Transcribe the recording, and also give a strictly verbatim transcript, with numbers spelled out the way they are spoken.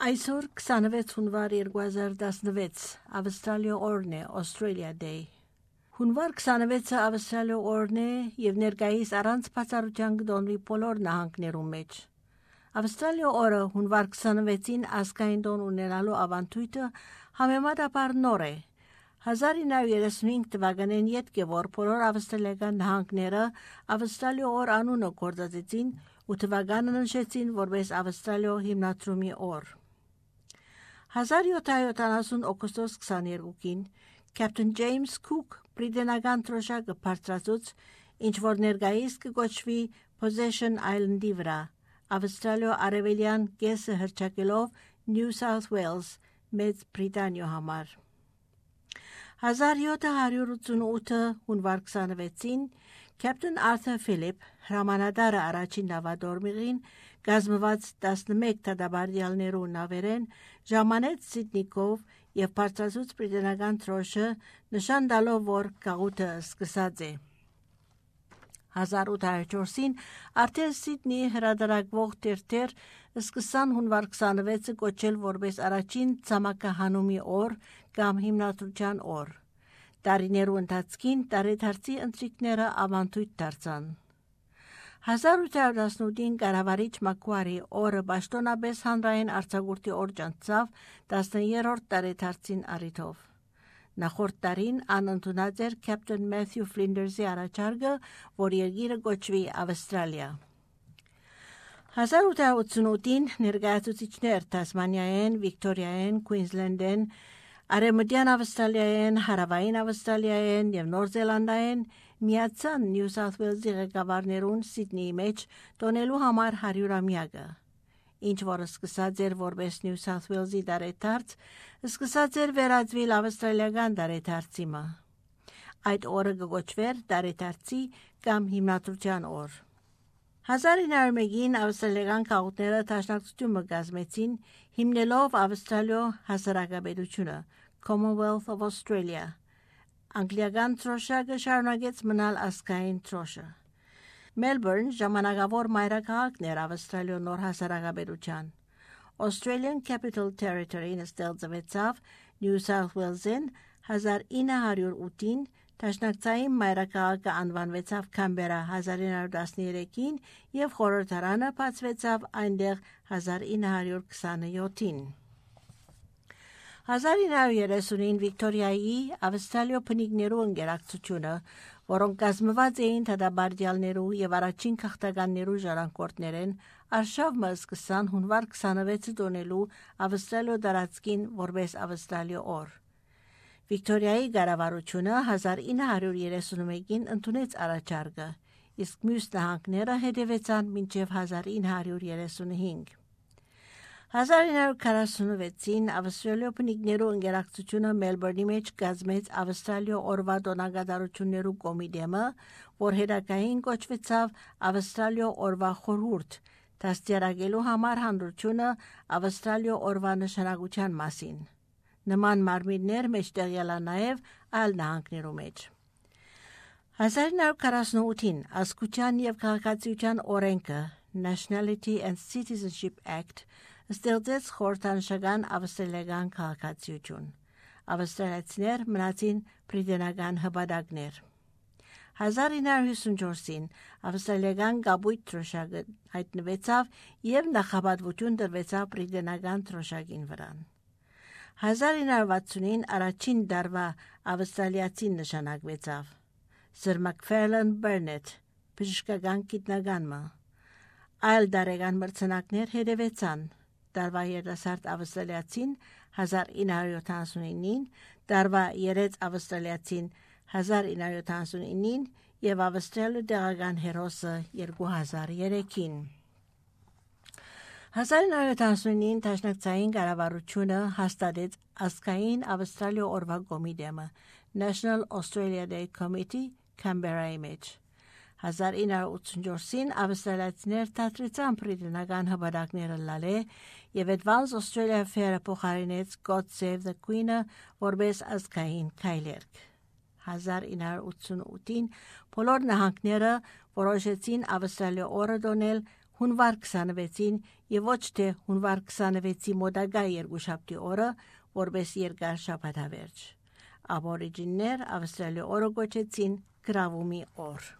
Այսօր քսանվեց հունվար երկու հազար տասնվեց Ավստրալիա օրն է, Australia Day։ Հունվար քսանվեցը Ավստրալիա օրն է եւ ներկայիս առանց բացառության կդոնվի բոլոր նահանգներում մեջ։ Ավստրալիա օրը հունվար քսանվեցին ազգային տոն ունենալու ավանդույթը համեմատաբար նոր է։ հազար ինը հարյուր երեսունհինգ թվականին յետք է որ բոլոր ավստրալիական նահանգները Ավստրալիա օր անունը գործածեցին ու թվականը նշեցին որպես Ավստրալիա հիմնադրումի օր։ հազար յոթ հարյուր յոթանասուն օգոստոս քսաներկուին Captain James Cook բրիտանական թռչակը բարձրացուց, ինչ որ ներկայիս կոչվի Possession Island-ի վրա, Ավստրալիա արևելյան կեսը հռչակելով New South Wales Մեծ Բրիտանիա համար։ հազար յոթ հարյուր ութսունութ հունվար քսանվեցին Captain Arthur Phillip հրամանատարը առաջին նավադորմիղին գազմված տասնմեկ թադաբարդյալներու նավերեն ժամանեց Սիդնիկով եւ բարձրացուց բրիտանական թռչը նշան տալով որ գաղութը սկսած է։ հազար ութ հարյուր չորսին արդեն Սիդնի հրադարակվող թերթեր սկսան հունվար քսանվեցը կոչել որպես առաջին ցամաքահանումի օր կամ հիմնադրության օր։ Տարիներու ընթացքին տարեդարձի ընթրիքները ավանդույթ դարձան։ հազար ութ հարյուր տասնութին կառավարիչ Մակուարի օրը պաշտոնապես հանրային արձակուրդի օր ճանաչավ տասներորդ տարեդարձին առիթով։ Նախորդ տարին անընդունած էր Captain Matthew Flinders-ի առաջարկը, որ երկիրը կոչվի Ավստրալիա։ հազար ութ հարյուր ութսունութին ներկայացուցիչներ Թասմանիայեն, Վիկտորիայեն, Քուինզլենդեն, Արևմտյան Ավստրալիայեն, Հարավային Ավստրալիայեն եւ Նոր Զելանդայեն միացան New South Wales-ի ղեկավարներուն Սիդնեի մեջ տոնելու համար հարյուրամյակը։ Ինչ որը սկսած էր որպես New South Wales-ի տարեդարձ, սկսած էր վերածվել ավստրալիական տարեդարձիմը։ Այդ օրը կոչվեր տարեդարձի կամ հիմնադրության օր։ հազար ինը հարյուր մեկին ավստրալիական քաղաքները դաշնակցությունը կազմեցին հիմնելով Ավստրալիա հասարակապետությունը Commonwealth of Australia։ Անգլիական թռչակը շարունակեց մնալ ազգային թռչը։ Melbourne ժամանակավոր մայրաքաղաքն էր Ավստրալիա նոր հասարակապետության։ Australian Capital Territory-ն ստեղծվեցավ New South Wales-ին հազար ինը հարյուր ութին, Դաշնակցային մայրաքաղաքը անվանվեցավ Քամբերա հազար ինը հարյուր տասներեքին եւ խորհրդարանը բացվեցավ այնտեղ հազար ինը հարյուր քսանյոթին։ հազար ինը հարյուր երեսունին Վիկտորիայի Ավստրալիա բնիկներու ընկերակցությունը, որոնք կազմված էին թադաբարդյալներու եւ առաջին քաղաքականներու ժառանգորդներեն, արշավը սկսան հունվար քսանվեցը տոնելու Ավստրալիա տարածքին որպես Ավստրալիա օր։ Վիկտորիայի կառավարությունը հազար ինը հարյուր երեսունմեկին ընդունեց առաջարկը, իսկ մյուս նահանգները հետևեցան մինչև հազար ինը հարյուր երեսունհինգ։ հազար ինը հարյուր քառասունվեցին Ավստրալիա բնիկներու ընկերակցությունը Մելբուրնի մեջ կազմեց Ավստրալիա օրվա տոնակատարություններու կոմիտեմը, որ հետագային կոչվեցավ Ավստրալիա օրվա խորհուրդ, դաստիարակելու համար հանրությունը Ավստրալիա օրվա նշանակության մասին։ Նման մարմիններ մեջտեղյալ է նաև այլ նահանգներու մեջ։ հազար ինը հարյուր քառասունութին ազգության եւ քաղաքացիության օրենքը Nationality and Citizenship Act ստեղծեց խորհրդանշական ավստրալիական քաղաքացիություն։ Ավստրալիացիներ մնացին բրիտանական հպատակներ։ հազար ինը հարյուր հիսունչորսին ավստրալիական կապույտ թռչակը հայտնվեցավ եւ նախապատվություն տրվեցավ բրիտանական թռչակին վրան։ հազար ինը հարյուր վաթսունին առաջին դարվա ավստրալիացին նշանակվեցավ։ Սր Մակֆերլան Բերնեթ, բժշկական գիտնականը։ Այլ դարեգան մրցանակներ հետևեցան։ Դարվա երիտասարդ ավստրալիացին հազար ինը հարյուր յոթանասունինին, դարվա երեց ավստրալիացին հազար ինը հարյուր յոթանասունինին եւ Ավստրալիա տեղական հերոսը երկու հազար երեքին։ հազար ինը հարյուր յոթանասունին դաշնակցային կառավարությունը հաստատեց ազգային Ավստրալիա օրվա կոմիտեմը National Australia Day Committee Canberra-ի մեջ։ հազար ինը հարյուր ութսունչորսին ավստրալիացիներ դադրեցան բրիտանական հպատակները լալե եւ Advance Australia Fair-ը փոխարինեց God Save the Queen-ը որպես ազգային քայլերկ։ հազար ինը հարյուր ութսունութին բոլոր նահանգները որոշեցին Ավստրալիա օրը տոնել հունվար քսանվեցին եւ ոչ թե հունվար քսանվեցի մոդագա երկուշաբթի օրը, որպես երկար շաբաթավերջ։ Աբորիջիններ Ավստրալիա օրը գոչեցին գրավումի օր։